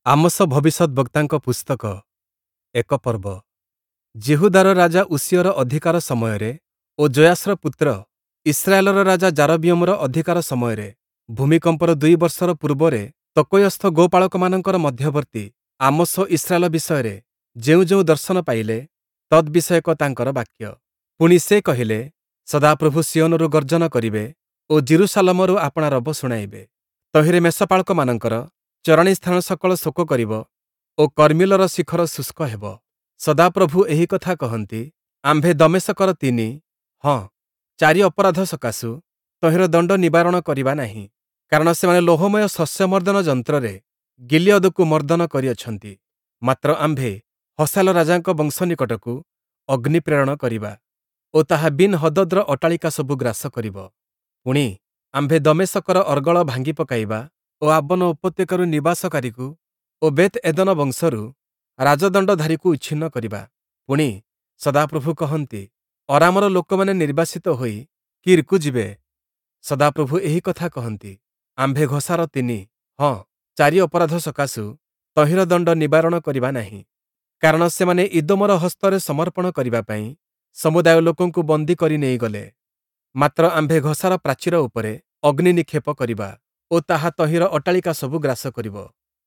Amos ଭବିଷ୍ୟଦ୍‌ବକ୍ତାଙ୍କ ପୁସ୍ତକ, ଏକ ପର୍ବ। ଯିହୁଦାର ରାଜା ଉଷିୟର ଅଧିକାର ସମୟରେ ଓ ଯୋୟାଶର ପୁତ୍ର ଇସ୍ରାଏଲର ରାଜା ଯାରବିୟମର ଅଧିକାର ସମୟରେ, ଭୂମିକମ୍ପର ଦୁଇ ବର୍ଷର ପୂର୍ବରେ ତକୋୟସ୍ଥ ଗୋପାଳକମାନଙ୍କର ମଧ୍ୟବର୍ତ୍ତୀ ଆମୋସ ଇସ୍ରାଏଲ ବିଷୟରେ ଯେଉଁ ଯେଉଁ ଦର୍ଶନ ପାଇଲେ, ତଦ୍‌ବିଷୟକ ତାଙ୍କର ବାକ୍ୟ। ପୁଣି ସେ କହିଲେ, ସଦାପ୍ରଭୁ ସିୟୋନରୁ ଗର୍ଜନ କରିବେ ଓ ଯିରୂଶାଲମରୁ ଆପଣା ରବ ଶୁଣାଇବେ। ତହିଁରେ ମେଷପାଳକମାନଙ୍କର ଚରାଣୀ ସ୍ଥାନ ସକଳ ଶୋକ କରିବ ଓ କର୍ମିଲର ଶିଖର ଶୁଷ୍କ ହେବ। ସଦାପ୍ରଭୁ ଏହି କଥା କହନ୍ତି, ଆମ୍ଭେ ଦମେଶକର ତିନି, ହଁ, ଚାରି ଅପରାଧ ସକାଶୁ ତହିଁର ଦଣ୍ଡ ନିବାରଣ କରିବା ନାହିଁ। କାରଣ ସେମାନେ ଲୌହମୟ ଶସ୍ୟମର୍ଦ୍ଦନ ଯନ୍ତ୍ରରେ ଗିଲିୟଦକୁ ମର୍ଦ୍ଦନ କରିଅଛନ୍ତି। ମାତ୍ର ଆମ୍ଭେ ହସାୟେଲ ରାଜାଙ୍କ ବଂଶ ନିକଟକୁ ଅଗ୍ନି ପ୍ରେରଣ କରିବା ଓ ତାହା ବିନ୍‌ହଦଦ୍‌ର ଅଟ୍ଟାଳିକା ସବୁ ଗ୍ରାସ କରିବ। ପୁଣି, ଆମ୍ଭେ ଦମେଶକର ଅର୍ଗଳ ଭାଙ୍ଗି ପକାଇବା ଓ ଆବନ ଉପତ୍ୟକାରୁ ନିବାସକାରୀକୁ ଓ ବେଥ୍‌ଏଦନ ବଂଶରୁ ରାଜଦଣ୍ଡଧାରୀକୁ ଉଚ୍ଛିନ୍ନ କରିବା। ପୁଣି, ସଦାପ୍ରଭୁ କହନ୍ତି, ଅରାମର ଲୋକମାନେ ନିର୍ବାସିତ ହୋଇ କୀର୍‌କୁ ଯିବେ। ସଦାପ୍ରଭୁ ଏହି କଥା କହନ୍ତି, ଆମ୍ଭେ ଘସାର ତିନି, ହଁ, ଚାରି ଅପରାଧ ସକାଶୁ ତହିଁର ଦଣ୍ଡ ନିବାରଣ କରିବା ନାହିଁ। କାରଣ ସେମାନେ ଇଦୋମର ହସ୍ତରେ ସମର୍ପଣ କରିବା ପାଇଁ ସମୁଦାୟ ଲୋକଙ୍କୁ ବନ୍ଦୀ କରି ନେଇଗଲେ। ମାତ୍ର ଆମ୍ଭେ ଘସାର ପ୍ରାଚୀର ଉପରେ ଅଗ୍ନି ନିକ୍ଷେପ କରିବା ଓ ତାହା ତହିଁର ଅଟ୍ଟାଳିକା ସବୁ ଗ୍ରାସ କରିବ।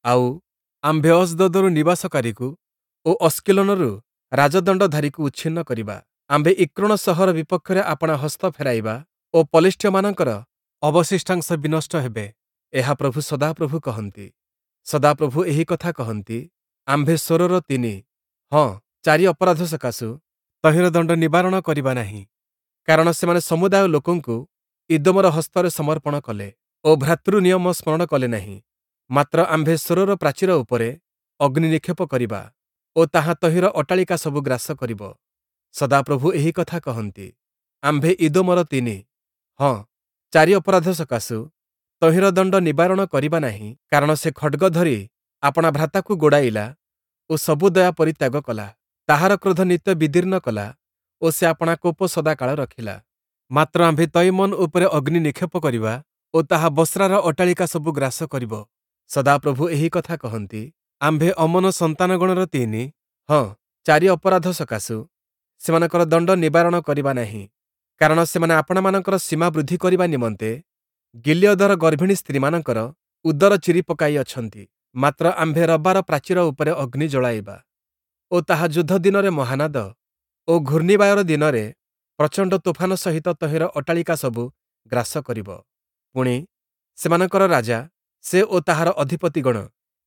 ଆଉ, ଆମ୍ଭେ ଅସ୍ଦୋଦରୁ ନିବାସକାରୀକୁ ଓ ଅସ୍କିଲୋନରୁ ରାଜଦଣ୍ଡଧାରୀକୁ ଉଚ୍ଛିନ୍ନ କରିବା। ଆମ୍ଭେ ଇକ୍ରୋଣ ସହର ବିପକ୍ଷରେ ଆପଣା ହସ୍ତ ଫେରାଇବା ଓ ପଲେଷ୍ଟୀୟମାନଙ୍କର ଅବଶିଷ୍ଟାଂଶ ବିନଷ୍ଟ ହେବେ। ଏହା ପ୍ରଭୁ ସଦାପ୍ରଭୁ କହନ୍ତି। ସଦାପ୍ରଭୁ ଏହି କଥା କହନ୍ତି, ଆମ୍ଭେ ସୋରର ତିନି, ହଁ, ଚାରି ଅପରାଧ ସକାଶୁ ତହିଁର ଦଣ୍ଡ ନିବାରଣ କରିବା ନାହିଁ। କାରଣ ସେମାନେ ସମୁଦାୟ ଲୋକଙ୍କୁ ଇଦୋମର ହସ୍ତରେ ସମର୍ପଣ କଲେ ଓ ଭ୍ରାତୃ ନିୟମ ସ୍ମରଣ କଲେ ନାହିଁ। ମାତ୍ର ଆମ୍ଭେ ସୋରର ପ୍ରାଚୀର ଉପରେ ଅଗ୍ନି ନିକ୍ଷେପ କରିବା ଓ ତାହା ତହିଁର ଅଟ୍ଟାଳିକା ସବୁ ଗ୍ରାସ କରିବ। ସଦାପ୍ରଭୁ ଏହି କଥା କହନ୍ତି, ଆମ୍ଭେ ଇଦୋମର ତିନି, ହଁ, ଚାରି ଅପରାଧ ସକାଶୁ ତହିଁର ଦଣ୍ଡ ନିବାରଣ କରିବା ନାହିଁ। କାରଣ ସେ ଖଡ଼୍ଗ ଧରି ଆପଣା ଭ୍ରାତାକୁ ଗୋଡ଼ାଇଲା ଓ ସବୁ ଦୟା ପରିତ୍ୟାଗ କଲା। ତାହାର କ୍ରୋଧ ନିତ୍ୟ ବିଦୀର୍ଣ୍ଣ କଲା ଓ ସେ ଆପଣା କୋପ ସଦାକାଳ ରଖିଲା। ମାତ୍ର ଆମ୍ଭେ ତୈମନ ଉପରେ ଅଗ୍ନି ନିକ୍ଷେପ କରିବା ଓ ତାହା ବସ୍ରାର ଅଟ୍ଟାଳିକା ସବୁ ଗ୍ରାସ କରିବ। ସଦାପ୍ରଭୁ ଏହି କଥା କହନ୍ତି, ଆମ୍ଭେ ଅମ୍ମୋନ ସନ୍ତାନଗଣର ତିନି, ହଁ, ଚାରି ଅପରାଧ ସକାଶୁ ସେମାନଙ୍କର ଦଣ୍ଡ ନିବାରଣ କରିବା ନାହିଁ। କାରଣ ସେମାନେ ଆପଣାମାନଙ୍କର ସୀମା ବୃଦ୍ଧି କରିବା ନିମନ୍ତେ ଗିଲିୟଦର ଗର୍ଭିଣୀ ସ୍ତ୍ରୀମାନଙ୍କର ଉଦର ଚିରି ପକାଇ ଅଛନ୍ତି। ମାତ୍ର ଆମ୍ଭେ ରବାର ପ୍ରାଚୀର ଉପରେ ଅଗ୍ନି ଜଳାଇବା ଓ ତାହା ଯୁଦ୍ଧ ଦିନରେ ମହାନାଦ ଓ ଘୂର୍ଣ୍ଣିବାୟର ଦିନରେ ପ୍ରଚଣ୍ଡ ତୋଫାନ ସହିତ ତହିଁର ଅଟ୍ଟାଳିକା ସବୁ ଗ୍ରାସ କରିବ। ପୁଣି, ସେମାନଙ୍କର ରାଜା, ସେ ଓ ତାହାର ଅଧିପତିଗଣ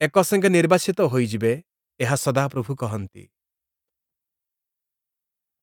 ଏକସଙ୍ଗେ ନିର୍ବାସିତ ହୋଇଯିବେ, ଏହା ସଦାପ୍ରଭୁ କହନ୍ତି।